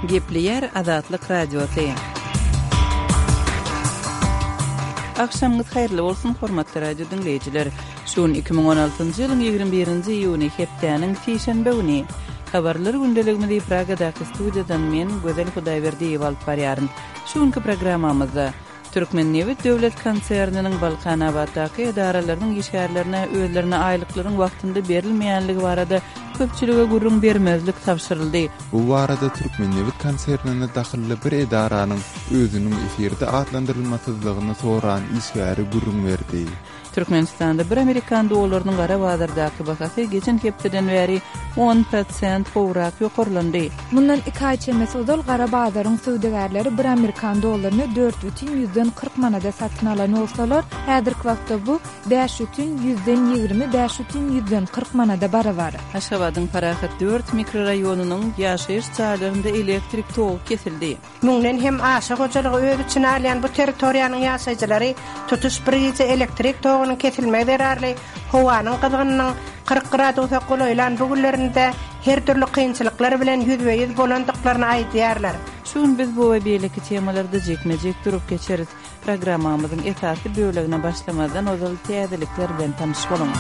Gepleýär Azatlyk Radiosy. Agşamyňyz haýyrly bolsun, hormatly radio diňleýjiler. Şu gün 2016-njy ýylyň 21-nji iýuny, hepdäniň sişenbe güni. Habarlar gündeligimizi Pragadaky studiýadan men, Gözel Hudaýberdiýewa alyp barýaryn. Şu günki programmamyzda Türkmennebit döwlet konserniniň Balkanabatdaky edaralarynyň işgärlerine özlerine aýlyklaryň wagtynda berilmeýänligi barada köpçülige gürrüň bermezlik tabşyryldy. Bu barada Türkmennebit konsernine dahylly bir edaranyň özüniň efirde atlandyrylmasyzlygyny soran işgäri gürrüň berdi. Türkmenistanda bir amerikan dollarynyň gara bazardaky bahasy geçen hepdeden bäri on prosent gowrak ýokarlandy. Mundan iki aý çemesi ozal gara bazaryň söwdagärleri bir amerikan dollaryny 4,40 manada satyn alan bolsalar, häzirki wagtda bu 5,20 5,40 manada barabar. Aşgabadyň Parahat dört mikroraýonynyň ýaşaýyş jaýlarynda elektrik togy kesildi. Müňden hem aşa hojalygy öz içine alýan bu territoriýanyň ýaşaýjylary tutuş bir gije elektrik togunyň kesilmegi zerarly howanyň gyzgynynyň 40 gradusa golaýlan bu günlerinde her dürli kynçylyklar bilen ýüzbe-ýüz bolandyklaryny aýdýarlar. Şu gün biz bu we beýleki temalarda jikme-jik durup geçeris. Programmamyzyň esasy bölegine başlamazdan ozal täzelikler bilen tanyş boluň.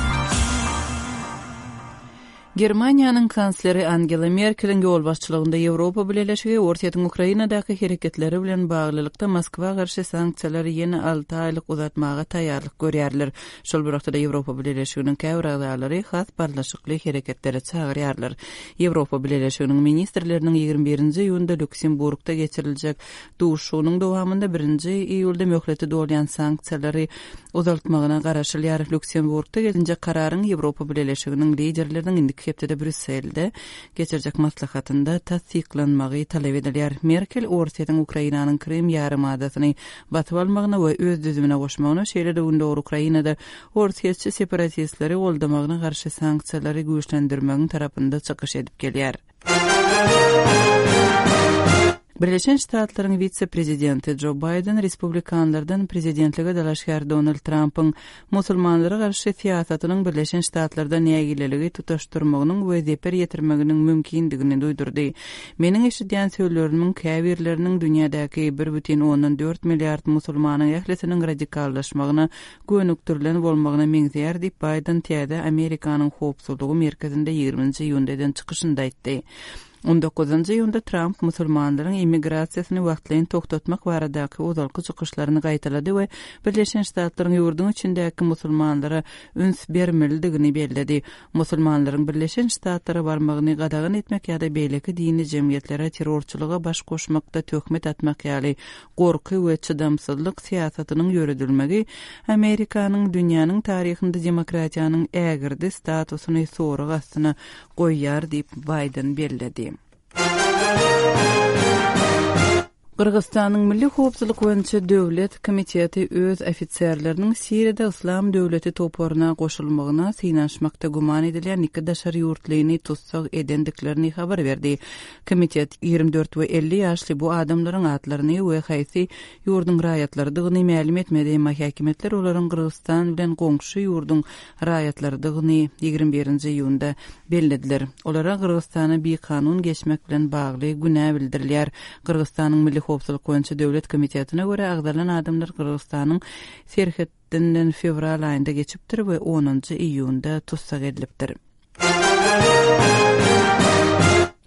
Germaniýanyň kansleri Angela Merkeliň ýolbaşçylygynda Ýewropa Bileleşigi Orsýetiň Ukrainadaky hereketleri bilen baglylykda Moskwa garşy sanksiýalary ýene alty aýlyk uzatmaga taýýarlyk görýärler. Şol bir wagtda-da Ýewropa Bileleşiginiň käbir agzalary has barlyşykly hereketlere çagyrýarlar. Ýewropa Bileleşiginiň ministrleriniň 21-nji iýunda Lýuksemburgda geçiriljek Duşuşygynyň dowamynda birinji iýulda möhleti dolýan sanksiýalary uzaltmagyna garaşylýar. Lýuksemburgda gelinjek kararyň Ýewropa Bileleşiginiň liderleriniň indiki hepdede Brýusselde geçirjek maslahatynda tassyklanmagy talap edilýär. Merkel Orsýetiň Ukrainanyň Krym ýarymadasyny basyp almagyna we öz düzümine goşmagyna, şeýle-de gündogar Ukrainada orsýetçi separatistleri goldamagyna garşy sanksiýalary güýçlendirmegiň tarapynda çykyş edip gelýär. Birleşen Ştatlaryň wise-prezidenti Jo Baýden respublikanlardan prezidentlige dalaşgär Donald Trampyň musulmanlara garşy syýasatynyň Birleşen Ştatlarda nägileligi tutaşdyrmagynyň we zeper ýetirmeginiň mümkindigini duýdurdy. Meniň eşidýän sözlerimiň käbirleriniň dünýädäki bir bütin ondan dört milliard musulmanyň ählisiniň radikallaşmagyna gönükdirilen bolmagyna meňzeýär diýip, Baýden täze Amerikanyň howpsuzlygy merkezinde ýigriminji iýunda eden çykyşynda aýtdy. On dokuzynjy iýunda Tramp musulmanlaryň immigrasiýasyny wagtlaýyn togtatmak baradaky ozalky çykyşlaryny gaýtalady we Birleşen Ştatlaryň ýurduň içindäki musulmanlara üns bermelidigini belledi. Musulmanlaryň Birleşen Ştatlara barmagyny gadagan etmek ýa-da beýleki dini jemgyýetlere terrorçylyga baş goşmakda töhmet atmak ýaly gorky we çydamsyzlyk syýasatynyň ýöredilmegi Amerikanyň dünýäniň taryhynda demokratiýanyň ägirdi statusyny sorag astyna goýýar diýip, Baýden belledi. Gyrgyzystanyň Milli howpsuzlyk boýunça döwlet komiteti öz ofiserleriniň Siriýada Yslam döwleti toparyna goşulmagyna synanyşmakda güman edilýän iki daşary ýurtlyny tussag edendiklerini habar berdi. Komitet 24 we 50 ýaşly bu adamlaryň atlaryny we haýsy ýurduň raýatlarydygyny mälim etmedi, emma häkimiýetler olaryň Gyrgyzystan bilen goňşy ýurduň raýatlarydygyny 21-nji iýunda bellediler. Olara Gyrgyzystana bikanun geçmek bilen bagly günä bildirilýär. Gyrgyzystanyň Milli howpsuzlyk boýunça döwlet komitetine görä, agzalan adamlar Gyrgyzystanyň serhedinden fewral aýynda geçipdir we onunjy iýunda tussag edilipdir.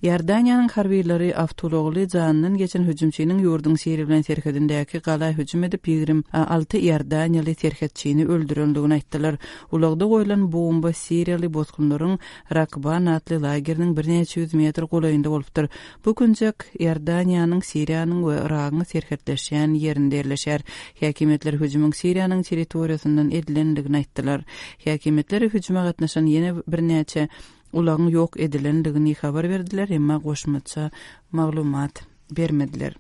Iordaniýanyň harbylary awtoulagly janyndan geçen hüjümçiniň ýurduň Siriýa bilen serhedindäki gala hüjüm edip, 26 iordaniýaly serhetçini öldürendigini aýtdylar. Ulagda goýlan bomba siriýaly bosgunlaryň Rakban atly lageriniň birnäçe ýüz metr golaýynda bolupdyr. Bu künjek Iordaniýanyň, Siriýanyň we Yragyň serhetleşýän ýerinde ýerleşýär. Häkimiýetler hüjümiň Siriýanyň territoriýasyndan edilendigini aýtdylar. Häkimiýetler hüjüme gatnaşan ýene birnäçe ulagyň ýok edilendigini habar berdiler, emma goşmaça maglumat. bermediler.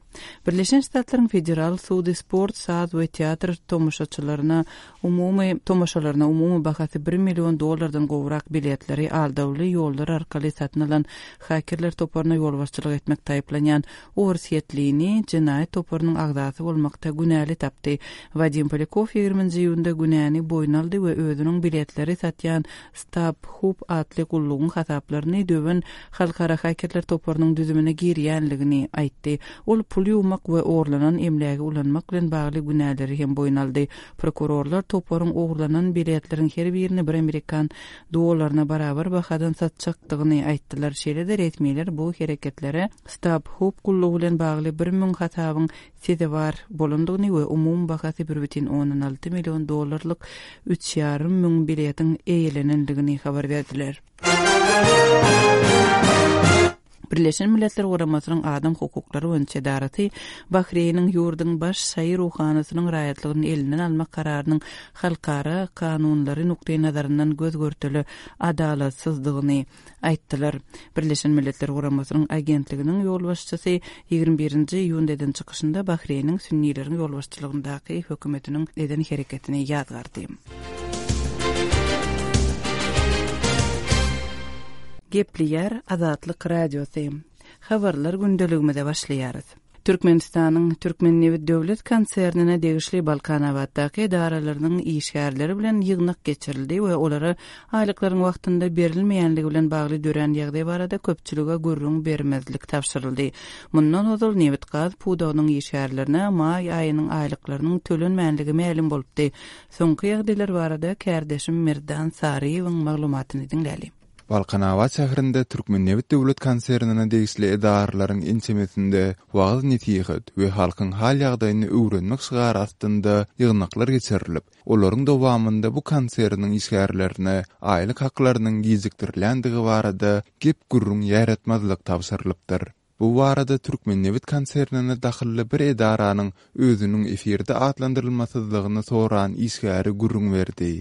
Birleşen Ştatlaryň Federal sudy sport, saz we teatr tomaşaçylaryna umumy tomaşalaryna umumy bahasy bir million dollardan gowrak biletleri aldawly ýollar arkaly satyn alan hakerler toparyna ýolbaşçylyk etmekde aýyplanýan orsýetlini jenaýat toparynyň agzasy bolmakda günäli tapdy. Wadim Polýakow ýigriminji iýunda günäni boýun aldy we özüniň biletleri satýan StubHub atly gullugyň hasaplaryny döwen halkara hakerler toparynyň düzümine girýänligini aýtdy. Ol pul ýuwmak we ogurlanan emlägi ulanmak bilen bagly günäleri hem boýun aldy. Prokurorlar toparyň ogurlanan biletleriň her birini bir amerikan dollaryna barabar bahadan satjakdygyny aýtdylar. Şeýle-de resmiler bu hereketlere StubHub gullugy bilen bagly 1000 hasabyň sezewar bolandygyny we umumy bahasy 1,6 million dollarlyk üç ýarym müň biletiň eýelenendigini habar berdiler. Birleşen Milletler Guramasynyň Adam hukuklary boýunça edarasy Bahreýniň ýurduň baş şaýy ruhanysynyň raýatlygyny elinden almak kararynyň halkara kanunlary nukdaýnazaryndan göz-görtele adalatsyzdygyny aýtdylar. Birleşen Milletler Guramasynyň agentliginiň ýolbaşçysy 21-nji iýunda eden çykyşynda Bahreýniň sünnileriň ýolbaşçylygyndaky hökümetiniň eden hereketini ýazgardy. Gepleýär Azatlyk Radiosy. Habarlar gündeligimize başlaýarys. Türkmenistanyň Türkmennebit döwlet konsernine degişli Balkanabatdaky edaralarynyň işgärleri bilen ýygnak geçirildi we olara aýlyklaryň wagtynda berilmeýänligi bilen bagly dörän ýagdaý barada köpçülige gürrüň bermezlik tabşyryldy. Mundan ozal nebit-gaz pudagynyň işgärlerine maý aýynyň aýlyklarynyň tölenmänligi mälim bolupdy. Soňky ýagdaýlar barada kärdeşim Merdan Saryýewiň maglumatyny diňläli. Balkanabat şäherinde Türkmennebit döwlet konsernine degişli edaralaryň ençemesinde wagyz-nesihat we halkyň hal-ýagdaýyny öwrenmek şygary astynda ýygnaklar geçirilip, olaryň dowamynda bu konserniň işgärlerine aýlyk haklarynyň gijikdirilýändigi barada gep-gürrüň ýaýratmazlyk tabşyrylypdyr. Bu barada Türkmennebit konsernine dahylly bir edaranyň özüniň efirde atlandyrylmasyzlygyny soran işgäri gürrüň berdi.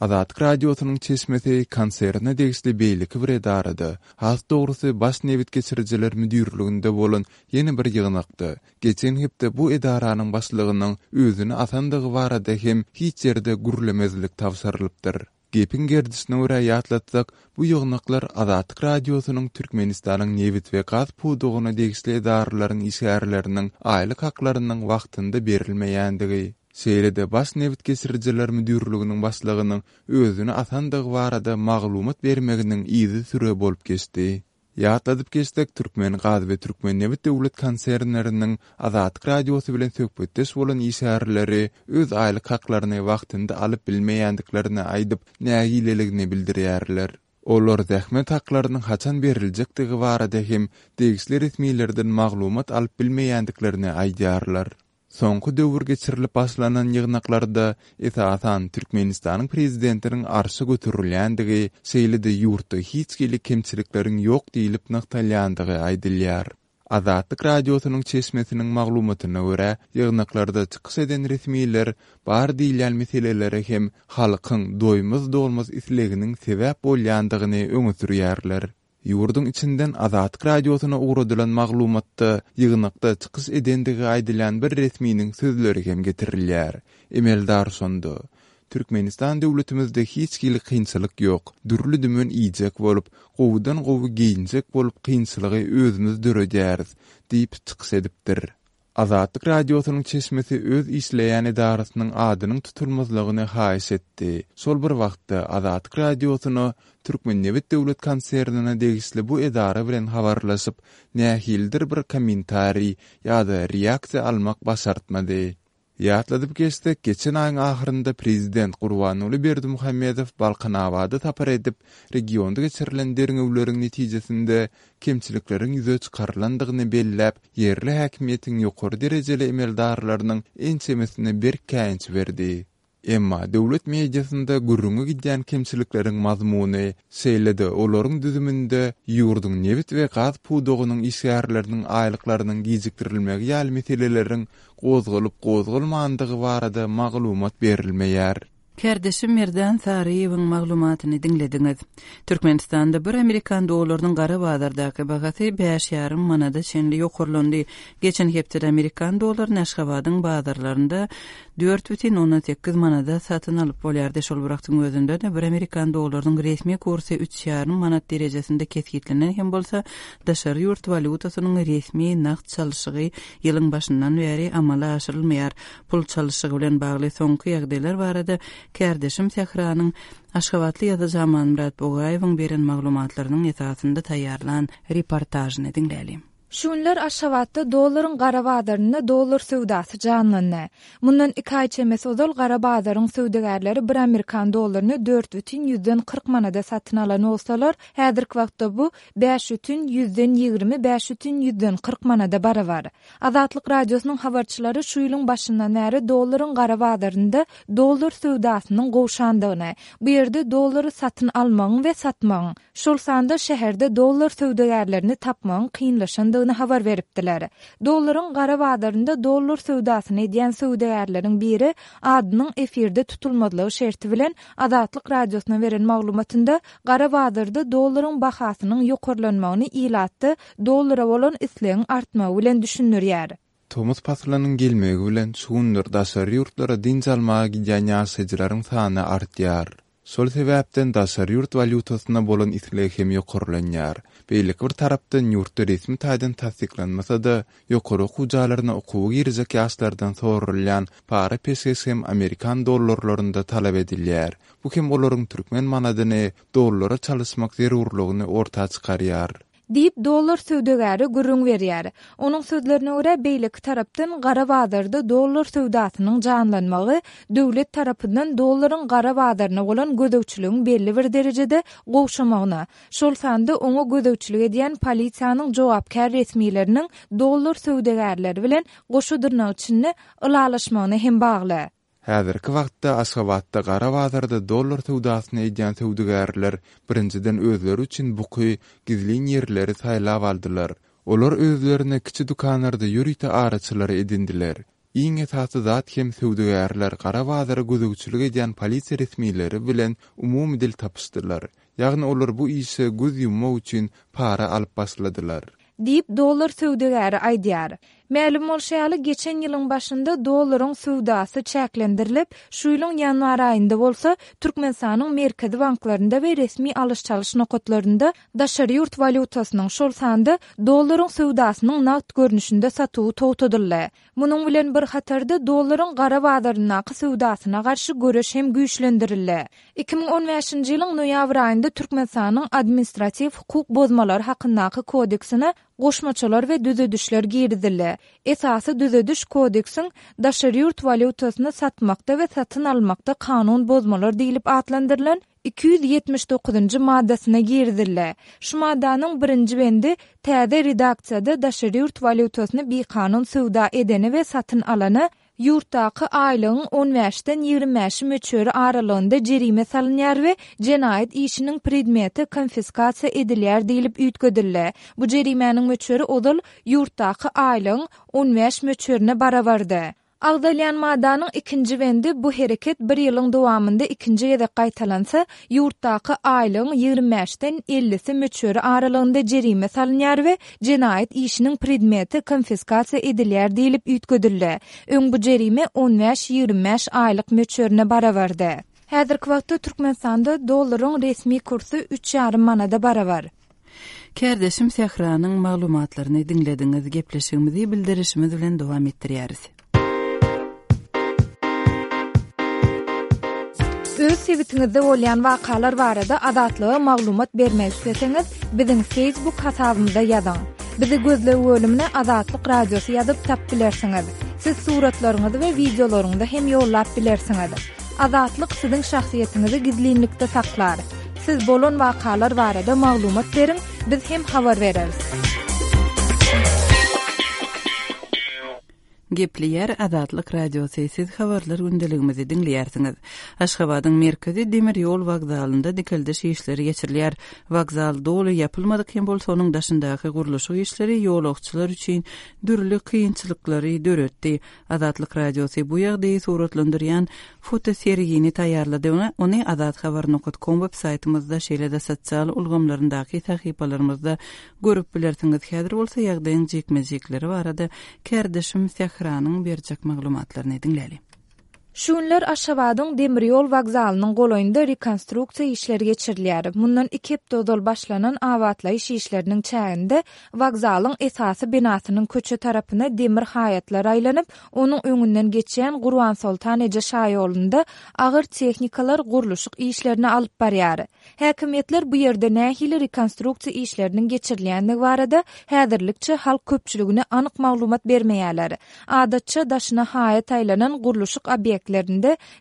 Azatlyk Radiosynyň çeşmesi konserne degişli beýleki bir edarada, has dogrusy Baş nebit geçirijiler müdirliginde bolan ýene bir ýygnakda, geçen hepde bu edaranyň başlygynyň özüni asandygy barada hem hiç ýerde gürlemezlik tabşyrylypdyr. Gepiň gerdişine görä ýatlatsak, bu ýygnaklar Azatlyk Radiosynyň Türkmenistanyň nebit we gaz pudagyna degişli edaralaryň işgärleriniň aýlyk haklarynyň wagtynda berilmeýändigi, Şeýle-de Baş nebit geçirijiler müdirliginiň başlygynyň özüni asandygy barada maglumat bermeginiň yzysüre bolup geçdi. Ýatladyp geçsek, Türkmengaz we Türkmennebit döwlet konsernleriniň Azatlyk Radiosy bilen söhbetdeş bolan işgärleri öz aýlyk haklaryny wagtynda alyp bilmeýändiklerini aýdyp, nägileligini bildirýärler. Olar zähmet haklarynyň haçan beriljekdigi barada hem degişli resmilerden maglumat alyp bilmeýändiklerini aýdýarlar. Soňky döwür geçirilip başlanan ýygnaklarda, esasan, Türkmenistanyň prezidentiniň arşa göterilýändigi, şeýle-de ýurtda hiç hili kemçilikleriň ýok diýlip nygtalýandygy aýdylýar. Azatlyk Radiosynyň çeşmesiniň maglumatyna görä, ýygnaklarda çykyş eden resmiler bar diýilýän meselelere hem halkyň doýmaz-dolmaz isleginiň sebäp bolýandygyny öňe sürýärler. Ýurduň içinden Azatlyk Radiosyna ugradylan maglumatda ýygnakda çykyş edendigi aýdylýan bir resminiň sözleri hem getirilýär. Emeldar şonda, Türkmenistan döwletimizde hiç hili kynçylyk ýok, dürli-dümen iýjek bolup, gowudan-gowy geýinjek bolup kynçylygy özümiz döredýäris diýip çykyş edipdir. Azatlyk Radiosynyň çeşmesi öz işleýän edarasynyň adynyň tutulmazlygyny haýyş etdi. Şol bir wagtda, Azatlyk Radiosyna Türkmennebit döwlet konsernine degişli bu edara bilen habarlaşyp, nähilidir bir kommentariý ýa-da reaksiýa almak başartmady. Ýatladyp geçsek, geçen aýyň ahyrynda prezident Gurbanguly Berdimuhamedow Balkanabada sapar edip, regionda geçirilen derňewleriň netijesinde kemçilikleriň ýüze çykarylandygyny belläp, ýerli häkimiýetiň ýokary derejeli emeldarlarynyň ençemesine berk käýinç berdi. Emma döwlet mediasynda gürrüňi gidýän kemçilikleriň mazmuny, şeýle-de olaryň düzüminde ýurduň nebit we gaz pudagynyň işgärleriniň aýlyklarynyň gijikdirilmegi ýaly meseleleriň gozgalyp-gozgalmandygy barada maglumat berilmeýär. Kärdeşim Merdan Saryýewiň maglumatyny diňlediňiz. Türkmenistanda bir amerikan dollarynyň gara bazardaky bahasy bäş ýarym manada çenli ýokarlandy. Geçen hepdede amerikan dollaryny Aşgabadyň bazarlarynda 4,8 manada satyn alyp bolýardy. Şol bir wagtyň özünde-de bir amerikan dollarynyň resmi kursy üç ýarym manat derejesinde kesgitlenen hem bolsa, daşary ýurt walýutasynyň resmi nagt çalşygy ýylyň başyndan bäri amala aşyrylmaýar. Pul çalyşygy bilen bagly soňky ýagdaýlar barada kärdeşim Sähranyň aşgabatly ýazyjy Amanmyrat Bugaýewiň beren maglumatlarynyň esasynda taýýarlan reportažyny diňläliň. Şu günler Aşgabatda dollaryň gara bazarynda dollar söwdasy janlandy. Mundan iki aý çemesi ozal gara bazaryň söwdagärleri bir amerikan dollaryny dört bütin ýüzden 40 manada satyn alan bolsalar, häzirki wagtda bu bäş bütin ýüzden 25 bütin ýüzden 40 manada barabar. Azatlyk Radiosynyň habarçylary şu ýylyň başyndan bäri dollaryň gara bazarynda dollar söwdasynyň gowşandygyny, bu ýerde dollary satyn almagyň we satmagyň, şol sanda şäherde dollar söwdagärlerini tapmagyň kynlaşandygyny habar beripdiler. Dollaryň gara bazarynda dollar söwdasyny edýän söwdagärleriň biri adynyň efirde tutulmazlygy şerti bilen Azatlyk Radiosyna beren maglumatynda gara bazarda dollaryň bahasynyň ýokarlanmagyny ilatda dollara bolan islegiň artmagy bilen düşündirýär. Tomus paslynyň gelmegi bilen şu günler daşary ýurtlara dynç almaga gidýän ýaşaýjylaryň sany artýar. Şol sebäpden daşary ýurt walýutasyna bolan isleg hem ýokarlanýar. Beýleki bir tarapdan ýurtda resmi taýdan tassyklanmasa-da, ýokary okuw jaýlaryna okuwa girjek ýaşlardan soralýan para-peşgeş hem amerikan dollarlarynda talap edilýär. Bu hem olaryň türkmen manadyny dollara çalyşmak zerurlygyny orta çykarýar. Diýip, dollar söwdagäri gürrüň berýär. Onuň sözlerine görä, beýleki tarapdan, gara bazarda dollar söwdasynyň janlanmagy döwlet tarapyndan dollaryň gara bazaryna bolan gözegçiligiň belli bir derejede gowşamagyna, şol sanda oňa gözegçilik edýän polisiýanyň jogapkär resmileriniň dollar söwdagärleri bilen goşa dyrnak içinde ylalaşmagyna hem bagly. Häzirki wagtda Aşgabatda gara bazarda dollar söwdasyny edýän söwdagärler birinjiden özleri üçin buky, gizlin ýerleri saýlap aldylar. Olar özlerine kiçi dükanlarda ýörite araçylary edindiler. Iň esasy zat hem söwdagärler gara bazara gözegçilik edýän polisiýa resmileri bilen umumy dil tapyşdylar. Ýagny olar bu işe göz ýummak üçin para alyp başladylar. Diýip, dollar söwdagäri aýdýar. Mälim bolşy ýaly, geçen ýylyň başynda dollaryň söwdasy çäklendirilip, şu ýylyň ýanwar aýynda bolsa, Türkmenistanyň merkezi banklarynda we resmi alyş-çalyş nokatlarynda daşary ýurt walýutasynyň, şol sanda dollaryň söwdasynyň nagt görnüşinde satuwy togtadyldy. Munuň bilen bir hatarda, dollaryň gara bazaryndaky söwdasyna garşy göreş hem güýçlendirildi. 2015-nji ýylyň noýabr aýynda Türkmenistanyň Administratiw hukuk bozmalary hakyndaky kodeksine goşmaçalar we düzedişler girizildi. Esasy düzediş kodeksiň Daşary ýurt walýutasyny satmakda we satyn almakda kanun bozmalar diýlip atlandyrylan 279-njy maddasyna girizildi. Şu maddanyň birinji bendi täze redaksiýada daşary ýurt walýutasyny bikanun söwda edene we satyn alana ýurtdaky aýlygyň on bäşden ýigrimi bäşi möçberi aralygynda jerime salynýar we jenaýat işiniň predmeti konfiskasiýa edilýär diýlip üýtgedildi. Bu jerimäniň möçberi ozal ýurtdaky aýlygyň on bäş möçberine barabardy. Agzalýan maddanyň ikinji bendi bu hereket bir ýylyň dowamynda ikinji gezek gaýtalansa, ýurtdaky aýlygyň ýigrimi bäşden ellisi möçberi aralygynda jerime salynýar we jenaýat işiniň predmeti konfiskasiýa edilýär diýlip üýtgedildi. Öň bu jerime on bäş-ýigrimi bäş aýlyk möçberine barabardy. Häzirki wagtda Türkmenistanda dollaryň resmi kursy üç ýarym manada barabar. Kärdeşim Sähranyň maglumatlaryny diňlediňiz. Gepleşigimizi bildirişimiz bilen dowam etdirýäris. Öz sebitiňizde bolýan wakalar barada Azatlyga maglumat bermek isleseňiz, biziň Facebook hasabymyza ýazyň. Bizi gözleg bölümine Azatlyk Radiosy ýazyp tap bilersiňiz. Siz suratlaryňyzy we wideolaryňyzy hem ýollap bilersiňiz. Azatlyk siziň şahsyýetiňizi gizlinlikde saklar. Siz bolan wakalar barada maglumat beriň, biz hem habar bereris. Gepleýär Azatlyk Radiosy, siz habarlar gündeligimizi diňleýärsiňiz. Aşgabadyň merkezi demir ýol wokzalynda dikeldiş işleri geçirilýär. Wokzal doly ýapylmadyk hem bolsa, onuň daşyndaky gurluşyk işleri ýolagçylar üçin dürli kynçylyklary döretdi. Azatlyk Radiosy bu ýagdaýy suratlandyrýan fotosergini taýýarlady. Ony azathabar nokat kom web saýtymyzda, şeýle-de sosial ulgamlaryndaky sahypalarymyzda görüp bilersiňiz. Häzir bolsa ýagdaýyň jikme-jikleri barada kärdeşim Sähranyň berjek maglumatlaryny diňläli. Şu günler Aşgabadyň demir ýol wokzalynyň golaýynda rekonstruksiýa işleri geçirilýär. Mundan iki hepde ozal başlanan abatlaýyş işleriniň çäginde wokzalyň esasy binasynyň köçe tarapyna demir haýatlar aýlanyp, onuň öňünden geçýän Gurbansoltan eje şaýolunda agyr tehnikalar gurluşyk işlerini alyp barýar. Häkimiýetler bu ýerde nähili rekonstruksiýa işleriniň geçirilýändigi barada häzirlikçe halk köpçüligine anyk maglumat bermeýärler. Adatça, daşyna haýat aýlanan gurluşyk obýektlerinde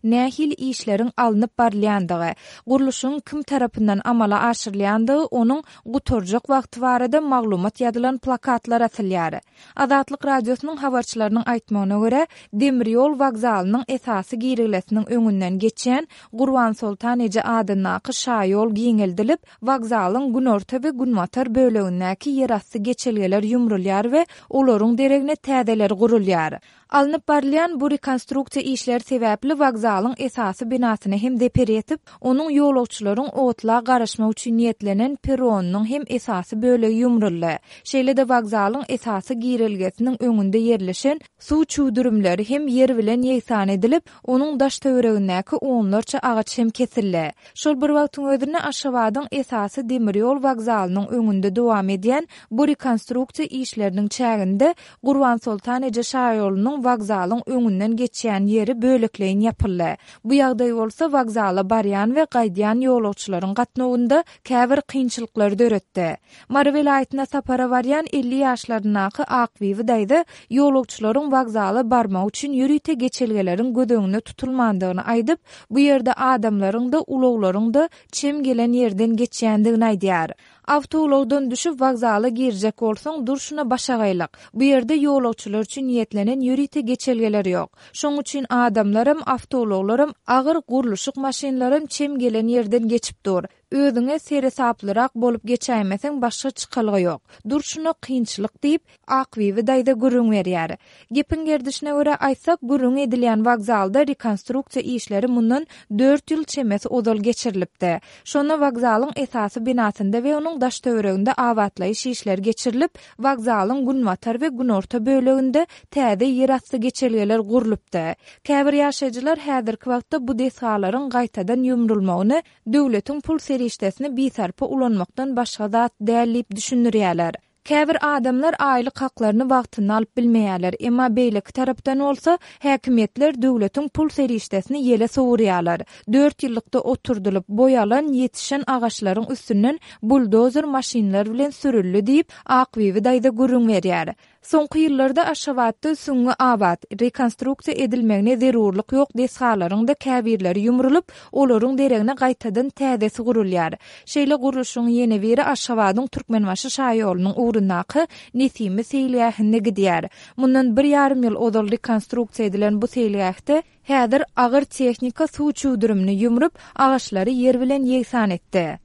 nähili işleriň alnyp barylýandygy, gurluşygyň kim tarapyndan amala aşyrylýandygy, onuň gutarjak wagty barada maglumat ýazylan plakatlar asylýar. Azatlyk Radiosynyň habarçylarynyň aýtmagyna görä, demir ýol wokzalynyň esasy girelgesiniň öňünden geçýän Gurbansoltan eje adyndaky şaýol giňeldilip, wokzalyň günorta we günbatar bölegindäki ýerasty geçelgeler ýumrulýar we olaryň deregine täzeleri gurulýar. Alnyp barylýan bu rekonstruksiýa işleri sebäpli wokzalyň esasy binasyna hem zeper ýetip, onuň ýolagçylaryň otla garaşmak üçin niýetlenen perronynyň hem esasy bölegi ýumruldy. Şeýle-de wokzalyň esasy girelgesiniň öňünde ýerleşen suw çüwdürimleri hem ýer bilen ýegsan edilip, onuň daş-töweregindäki onlarça agaç hem kesildi. Şol bir wagtyň özünde Aşgabadyň esasy demir ýol wokzalynyň öňünde dowam edýän bu rekonstruksiýa işleriniň çäginde Gurbansoltan eje şaýolunyň wokzalyň öňünden geçýän ýeri bölekleýin ýapyldy. Bu ýagdaý bolsa wokzala barýan we gaýdýan ýolagçylaryň gatnawynda käbir kynçylyklary döretdi. Mary welaýatyna sapara barýan 50 ýaşlaryndaky Akbibi daýza ýolagçylaryň wokzala barmagy üçin ýörite geçelgeleriň göz öňünde tutulmandygyny aýdyp, bu ýerde adamlaryň-da, ulaglaryň-da çem gelen ýerden geçýändigini aýdýar. Awtoulagdan düşüp wokzala girjek bolsaň, durşuna başagaýlyk. Bu ýerde ýolagçylar üçin niýetlenen ýörite geçelgeler ýok. Şoň üçin adamlaram, awtoulaglaram, agyr gurluşyk maşynlaram çem gelen ýerden geçip dur. Özüňe seresaplyrak bolup geçäýmeseň başga çykalga ýok. Durşuna kynçylyk diýip, Akbibi daýza gürrüň berýär. Gepiň gerdişine görä aýtsak, gürrüňi edilýän wokzalda rekonstruksiýa işleri mundan dört ýyl çemesi ozal geçirilipdi. Şonda wokzalyň esasy binasynda we onuň daş-töwereginde abatlaýyş işleri geçirilip, wokzalyň günbatar we günorta böleginde täze ýerasty geçelgeler gurlupdy. Käbir ýaşaýjylar häzirki wagtda bu desgalaryň gaýtadan ýumrulmagyny döwletiň pul serişdesini bisarpa ulanmakdan başga zat däl diýip düşündirýärler. Käbir adamlar aýlyk haklaryny wagtynda alyp bilmeýärler, emma beýleki tarapdan bolsa, häkimiýetler döwletiň pul serişdesini ýele sowurýarlar. Dört ýyllykda oturdylyp, boý alan, ýetişen agaçlaryň üstünden buldozer maşynlar bilen sürüldi diýip, Akbibi daýza gürrüň berýär. Soňky ýyllarda Aşgabatda süňňi abat, rekonstruksiýa edilmegine zerurlyk ýok desgalaryň-da käbirleri ýumrulyp, olaryň deregine gaýtadan täzesi gurulýar. Şeýle gurluşygyň ýene biri Aşgabadyň Türkmenbaşy şaýolunyň ugrundaky Nesimi seýilgähinde gidýär. Mundan bir ýarym ýyl ozal rekonstruksiýa edilen bu seýilgähde häzir agyr tehnika suw çüwdürimini ýumrup, agaçlary ýer bilen ýegsan etdi.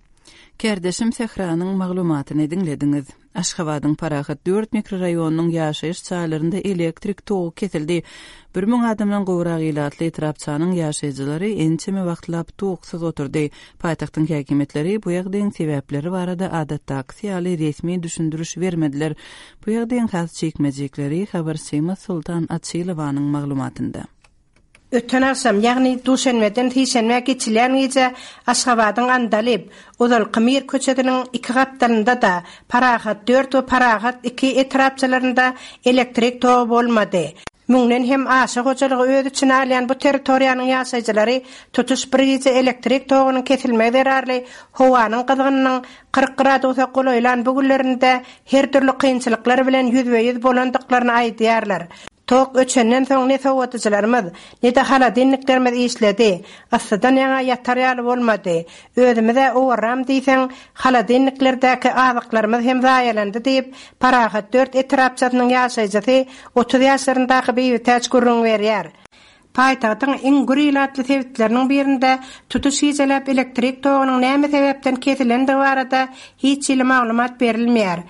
Kärdeşim Sähranyň maglumatyny diňlediňiz. Aşgabadyň Parahat dört mikroraýonynyň ýaşaýyş jaýlarynda elektrik togy kesildi. 1000 adamdan gowrak ilatly etrapçanyň ýaşaýjylary ençeme wagtlap toksuz oturdy. Paýtagtyň häkimiýetleri bu ýagdaýyň sebäpleri barada adatdakysy ýaly resmi düşündiriş bermediler. Bu ýagdaýyň has jikme-jikleri habarçymyz Soltan Açylowanyň maglumatynda. Öten agşam, ýagny duşenbeden sişenbä geçilýän gije Aşgabadyň Andalyp, ozalky Mir köçesiniň iki gapdalynda-da, Parahat dört we Parahat iki etrapçalarynda elektrik togy bolmady. Müňden hem aşa hojalygy öz içine alýan bu territoriýanyň ýaşaýjylary tutuş bir gije elektrik togunyň kesilmegi zerarly howanyň gyzgynynyň 40 gradusa golaýlan bu günlerinde her dürli kynçylyklar bilen ýüzbe-ýüz bolandyklaryny aýdýarlar. Tok öçenden soň ne sowadyjylarymyz, ne-de holodilniklerimiz işledi. Yssydan ýaňa ýatar ýaly bolmady. Özümiz-ä owarram diýseň, holodilniklerdäki azyklarymyz hem zaýalandy diýip, Parahat dört etrapçasynyň ýaşaýjysy, 30 ýaşlaryndaky Bibitäç gürrüň berýär. Paýtagtyň iň gür ilatly sebitleriniň birinde tutuş gijeläp elektrik togunyň näme sebäpden kesilendigi barada hiç hili maglumat berilmeýär.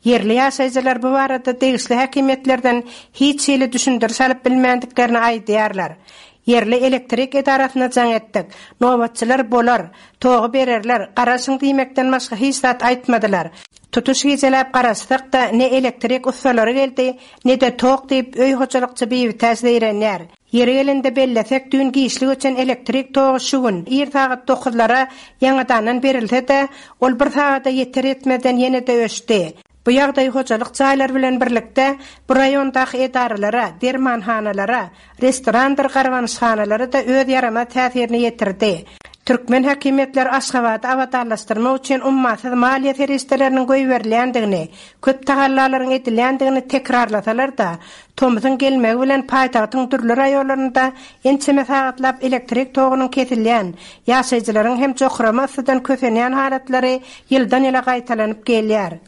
Ýerli ýaşaýjylar bu barada degişli häkimiýetlerden hiç hili düşündiriş alyp bilmändiklerini aýdýarlar. Ýerli elektrik edarasyna jaň etdik. Nobatçylar bolar, togy bererler, garaşyň diýmekden başga hiç zat aýtmadylar. Tutuş gijeläp garaşsak-da, ne elektrik ussalary geldi, ne-de tok diýip, öý hojalykçy Bibitäç zeýrenýär. Ýeri gelende bellesek, düýn giçlik öçen elektrik togy şu gün, ir sagat dokuzlara ýaňadandan berilse-de, ol bir sagada ýeter-ýetmezden ýene-de öçdi. Bu ýagdaý hojalyk jaýlary bilen birlikde, bu raýondaky edaralara, dermanhanalara, restorandyr garbanyşhanalara-da öz ýaramaz täsirini ýetirdi. Türkmen häkimiýetleri Aşgabady abadanlaşdyrmak üçin ummasyz maliýe serişdeleriniň goýberilýändigini, köp tagallalaryň edilýändigini tekrarlasalar-da, tomsuň gelmegi bilen paýtagtyň dürli raýonlarynda ençeme sagatlap elektrik togunyň kesilýän, ýaşaýjylaryň hem jokrama yssydan kösenýän halatlary ýyldan-ýyla gaýtalanyp gelýär.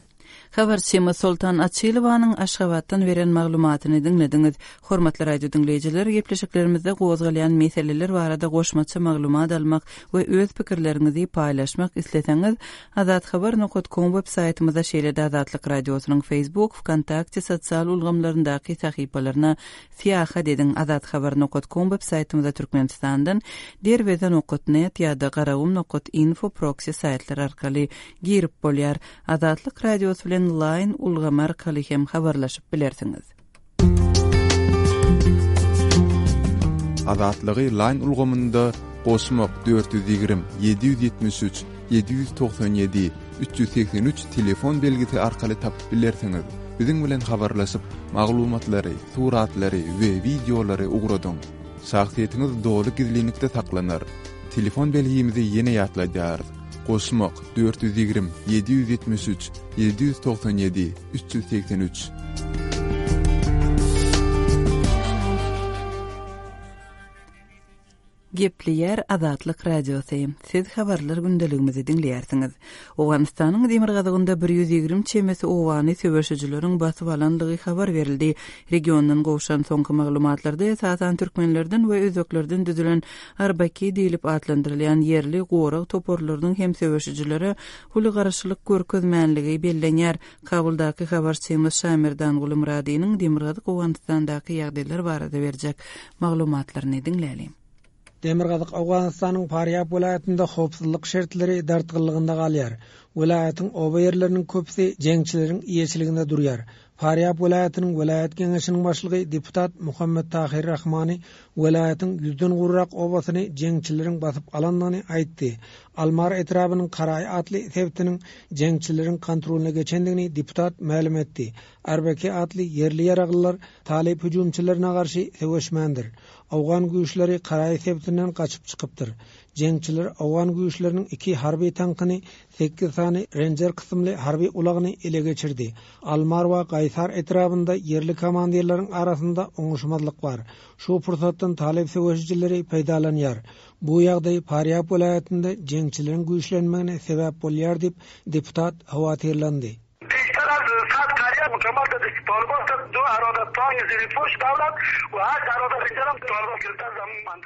Habarçymyz Soltan Açylowanyň Aşgabatdan beren maglumatyny diňlediňiz. Hormatly radio diňleýjiler, gepleşiklerimizde gozgalýan meseleler barada goşmaça maglumat almak we öz pikirleriňizi paýlaşmak isleseňiz, azathabar nokat kom web saýtymyza şeýle-de Azatlyk Radiosynyň Facebook, Wkontakte sosial ulgamlaryndaky sahypalaryna syýahat ediň, azathabar nokat kom web saýtymyza Türkmenistandan Derweze nokat net ýa-da Garagum nokat info proksi saýtlary arkaly girip bolýar. Azatlyk Radiosy bilen Line ulgamy arkaly hem habarlaşyp bilersiňiz. Azatlygy Line ulgamynda goşmak 420 773 797 383 telefon belgisi arkaly tapyp bilersiňiz. Biziň bilen habarlaşyp, maglumatlary, suratlary we wideolary ugradyň. Şahsyýetiňiz doly gizlinlikde saklanar. Telefon belgimizi ýene ýatladýarys. Goşmak, 420, 773, 797, 383. Gepleýär Azatlyk Radiosy. Siz habarlar gündeligimizi diňleýärsiňiz. Owganystanyň demirgazygynda 120 çemesi obany söweşijileriň basyp alandygy habar berildi. Regiondan gowşan soňky maglumatlarda esasan türkmenlerden we özbeklerden düzülen Arbaki diýlip atlandyrylýan ýerli gorag toparlarynyň hem söweşijilere uly garşylyk görkezmänligi bellenýär. Kabuldaky habarçymyz Şamerdanguly Myradynyň demirgazyk Owganystandaky ýagdaýlar barada berjek maglumatlaryny diňläliň. Demirgazyk Owganystanyň Farýab welaýatynda howpsuzlyk şertleri dartgynlygynda galýar. Welaýatyň oba ýerleriniň köpüsi jeňçileriň eýeçiliginde durýar. Farýab welaýatynyň welaýat geňeşiniň başlygy deputat Muhammet Tahyr Rahmany welaýatyň ýüzden gowrak obasyny jeňçileriň basyp alandygyny aýtdy. Almar etrabynyň Karaý atly sebitiniň jeňçileriň kontrolyna geçendigini deputat mälim etdi. Arbeki atly ýerli ýaraglylar talyp hüjümçilerine garşy söweşmändir. Owgan güýçleri Karaý sebitinden gaçyp çykypdyr. Jeňçiler owgan güýçleriniň iki harby tankyny, sekiz sany Renjer kysymly harby ulagyny ele geçirdi. Almar we Gaýsar etrabynda ýerli komandirleriň arasynda oňuşmazlyk bar. Şu pursatdan talyp söweşijileri peýdalanýar. Bu ýagdaý Farýab welaýatynda jeňçileriň güýçlenmegine sebäp bolýar diýip, deputat howatyrlandy.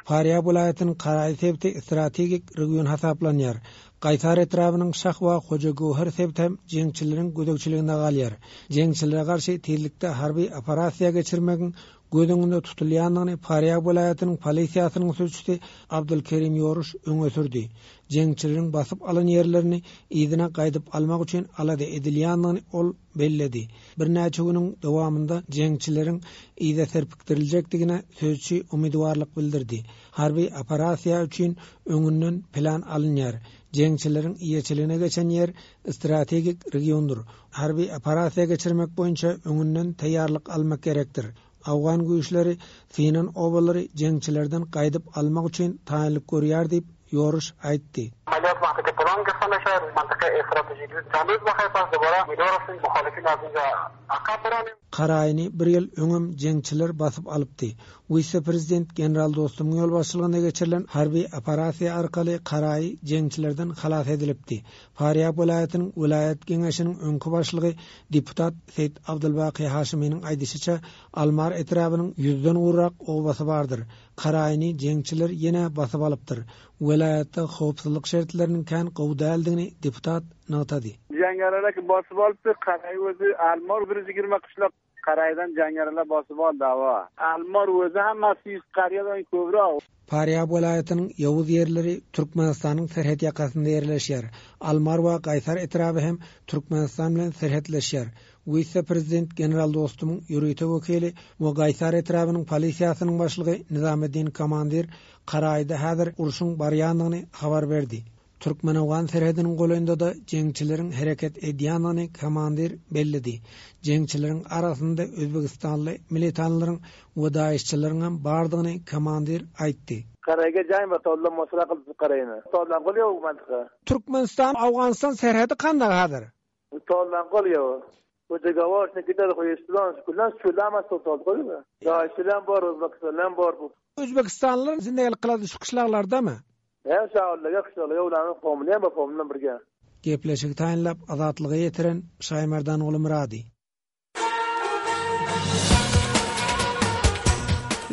Farýab welaýatynyň Karaý sebiti strategik region hasaplanýar. Gaýsar etrabynyň Şah we Hojagöwher sebiti hem jeňçileriň gözegçiliginde galýar. Jeňçilere garşy tizlikde harby operasiýa geçirmegiň göz öňünde tutulýandygyny Farýab welaýatynyň polisiýasynyň sülçüsi Abdulkerim Ýoruş öňe sürdi. Jeňçileriň basyp alan ýerlerini yzyna gaýdyp almak üçin alada edilýändigini ol belledi. Birnäçe günüň dowamynda jeňçileriň yza serpikdiriljekdigine sözçi umydybarlyk bildirdi. Harby operasiýa üçin öňünden plan alynýar. Jeňçileriň eýeçiligine geçen ýer strategik regiondyr. Harby operasiýa geçirmek boýunça öňünden taýýarlyk almak gerekdir. Owgan güýçleri synan obalary jeňçilerden gaýdyp almak üçin taýynlyk görýär diýip, Ýoruş aýtdy. میشه منطقه استراتژیک چند روز بخیر پس دوباره امیدوار هستیم مخالفین از اینجا عقب برانیم. Karaýyny bir ýyl öňem jeňçiler basyp alypdy. Wise-prezident general Dostumyň ýolbaşçylygynda geçirilen harby operasiýa arkaly Karaýy jeňçilerden halas edilipdi. Farýab welaýatynyň welaýat geňeşiniň öňki başlygy deputat Seýit Abdulbaky Haşymynyň aýdyşyça, Almar etrabynyň ýüzden gowrak obasy bardyr. Karaýyny jeňçiler ýene basyp alypdyr. Welaýatda howpsuzlyk şertleriniň kän gowy däldigini deputat nygtady. Jeňňeriler ki basyp alypdy, Karaý özi Almar 120 gyşlak Karaýdan jeňňeriler basyp aldy hawa. Almar özi hammasi ýüz karýadan köbräk. Farýab welaýatynyň ýowuz ýerleri Türkmenistanyň serhet ýakasynda ýerleşýär. Almar we Gaýsar etraby hem Türkmenistan bilen serhetleşýär. Wise-prezident general Dostumyň ýörite wekili we Gaýsar etrabynyň polisiýasynyň başlygy Nizameddin Komandir Karaýda häzir urşuň barýandygyny habar berdi. Türkmen-owgan serhediniň golaýynda-da jeňçileriň hereket edýändigini komandir belledi. Jeňçileriň arasynda özbegistanly militanlaryň we daişçileriňem bardygyny komandir aýtdy. Karaýga jaý bar tollam mosra kylyp karaýyna. Tollam gol ýok mantyka. Türkmenistan Owganystan serhedi kandak häzir? Tollam gol ýok. Bu dogovor ne gider hoýeslan kullan şulamas tol gol. Daişçiler bar özbekistanlar bar bu. Özbekistanlylar zindegelik kylady şu kyşlaglardamy? Hä şaollar ýok şolar ýowlanyň pomly hem bar pomly bilen birge. Gepleşigi taýynlap Azatlyga ýetiren Şaýmerdanguly Myrady.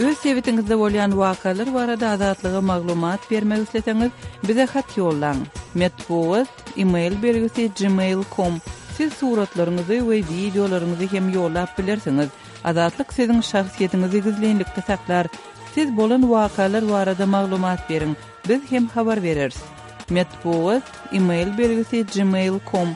Öz sebitiňizde bolýan wakalar barada Azatlyga maglumat bermek isleseňiz, bize hat ýollaň. Metbugat, e-mail belgisi gmail com. Siz suratlaryňyzy we wideolaryňyzy hem ýollap bilersiňiz. Azatlyk siziň şahsyýetiňizi gizlinlikde saklar. Siz bolan wakalar barada maglumat beriň, biz hem habar bereris. Metbugat, e-mail belgisi gmail com.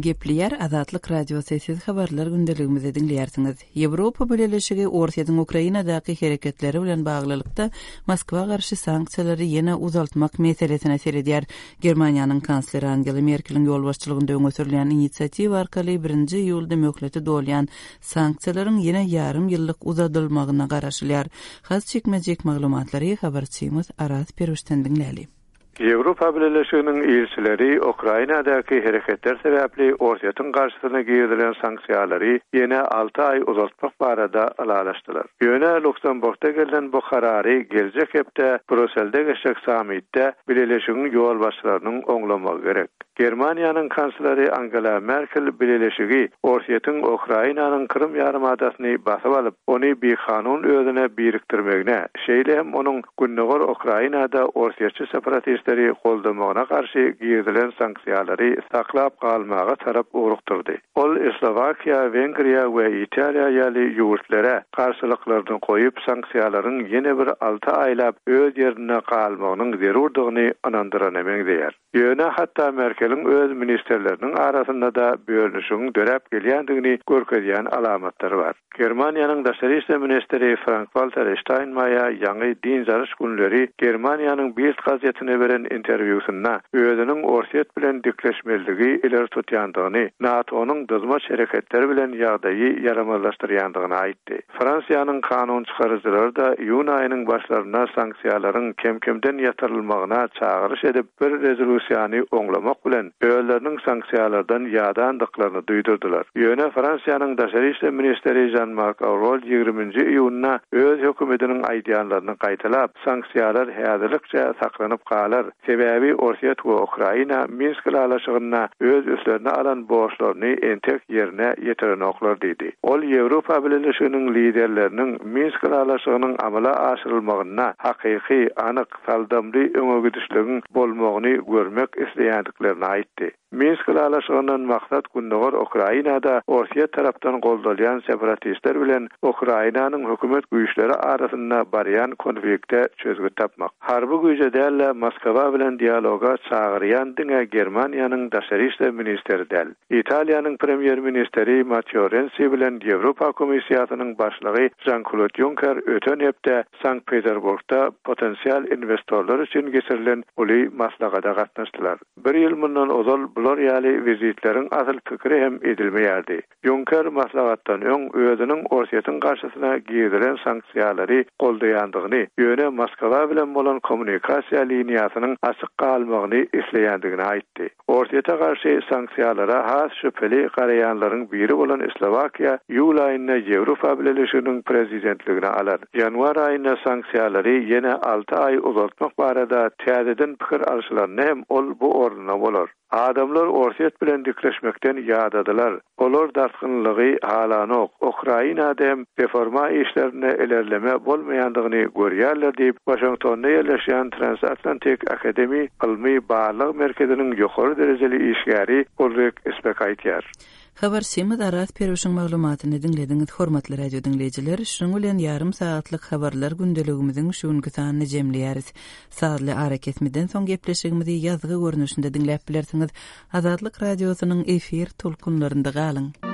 Gepleýär Azatlyk Radiosy, siz habarlar gündeligimizi diňleýärsiňiz. Ýewropa Bileleşigi Orsýetiň Ukrainadaky hereketleri bilen baglylykda Moskwa garşy sanksiýalary ýene uzaltmak meselesine seredýär. Germaniýanyň kansleri Angela Merkeliň ýolbaşçylygynda öňe sürülýän inisiatiwa arkaly birinji iýulda möhleti dolýan sanksiýalaryň ýene ýarym ýyllyk uzadylmagyna garaşylýar. Has jikme-jik maglumatlary habarçymyz Araz Perwişden diňläli. Ýewropa Bileleşiginiň ilçileri Ukrainadaky hereketler sebäpli Orsýetiň garşysyna girizilen sanksiýalary ýene alty aý uzaltmak barada ylalaşdylar. Ýöne Luksemburgda gelnen bu karary geljek hepde Bruselde geçjek sammitde Bileleşigiň ýolbaşçylarynyň oňlamagy gerek. Germaniýanyň kansleri Angela Merkel Bileleşigi Orsýetiň Ukrainanyň Krym ýarymadasyny basyp alyp, ony bikanun özüne birikdirmegine, şeýle hem onuň Gündogar Ukrainada orsýetçi separatistleri goldamagyna garşy girizilen sanksiýalary saklap galmaga tarap ugrukdyrdy. Ol Slowakiýa, Wengriýa we Italiýa ýaly ýurtlere garşylyklaryny goýup, sanksiýalaryň ýene bir alty aýlap öz ýerinde galmagynyň zerurdygyny ynandyrana meňzeýär. Ýöne hatda Merkeliň öz ministrleriniň arasynda-da bölünişigiň döräp gelýändigini görkezýän alamatlar bar. Germaniýanyň daşary işler ministri Frank-Walter Ştaýnmaýer ýaňy dynç alyş günleri Germaniýanyň Bild gazetine beren interwýusynda özüniň Orsýet bilen dikleşmezligi ileri tutýandygyny, NATO-nyň dyzmaç hereketleri bilen ýagdaýy ýaramazlaşdyrýandygyny aýtdy. Fransiýanyň kanun çykaryjylary-da iýun aýynyň başlarynda sanksiýalaryň kem-kemden ýatyrylmagyna çagyryş edip, bir rezolýusiýany oňlamak bilen, özleriniň sanksiýalardan ýadandyklaryny duýdurdylar. Ýöne Fransiýanyň daşary işler ministri Žan-Mark Aurol ýigriminji iýunda öz hökümetiniň aýdýanlaryny gaýtalap, sanksiýalar häzirlikçe saklanyp galar, Sebäbi Orsýet we Ukraina Minsk ylalaşygynda öz üstlerine alan borçlaryny entek ýerine ýetirenoklar diýdi. Ol Ýewropa Bileleşiginiň liderleriniň Minsk ylalaşygynyň amala aşyrylmagynda hakyky, anyk, saldamly öňegidişligiň bolmagyny görmek isleýändiklerini aýtdy. Minsk ylalaşygyndan maksat gündogar Ukrainada Orsýet tarapdan goldalýan separatistler bilen Ukrainanyň hökümet güýçleri arasynda barýan konflikte çözgüt tapmak. Harby güýje däl-de, Moskwa bilen dialoga çagyrýan diňe Germaniýanyň daşary işler ministeri däl. Italiýanyň premýer-ministeri Matteo Rensi bilen Ýewropa Komissiýasynyň başlygy Žan-Klod Ýunker öten hepde Sankt-Peterburgda potensial inwestorlar üçin geçirilen uly maslahata gatnaşdylar. Bir ýyl mundan. mundan ozal bular ýaly wizitleriň asyl pikiri hem edilmeýärdi. Ýunker maslahatdan öň özüniň Orsýetiň garşysyna girizilen sanksiýalary goldaýandygyny, ýöne Moskwa bilen bolan kommunikasiýa liniýasynyň açyk galmagyny isleýändigini aýtdy. Orsýete garşy sanksiýalara has şübheli garaýanlaryň biri bolan Slowakiýa iýul aýynda Ýewropa Bileleşiginiň prezidentligini alar. Ýanwar aýynda sanksiýalary ýene alty aý uzaltmak barada täzeden pikir alşylanda hem ol bu ornunda bolar. Adamlar Orsýet bilen dikleşmekden ýadadylar. Olar dartgynlygy halanok, Ukrainada hem reforma işlerinde ilerleme bolmaýandygyny görýärler diýip, Waşingtonda ýerleşýän Transatlantic Academy ylmy-barlag merkeziniň ýokary derejeli işgäri Ulrik Spek aýdýar. Habarçymyz Araz Perwişiň maglumatyny diňlediňiz. Hormatly radio diňleýjiler, şunuň bilen ýarym sagatlyk habarlar gündeligimiziň şu günki sanyny jemleýäris. Sazly arakesmeden soň gepleşigimizi ýazgy görnüşinde diňläp bilersiňiz. Azatlyk Radiosynyň efir tolkunlarynda galyň!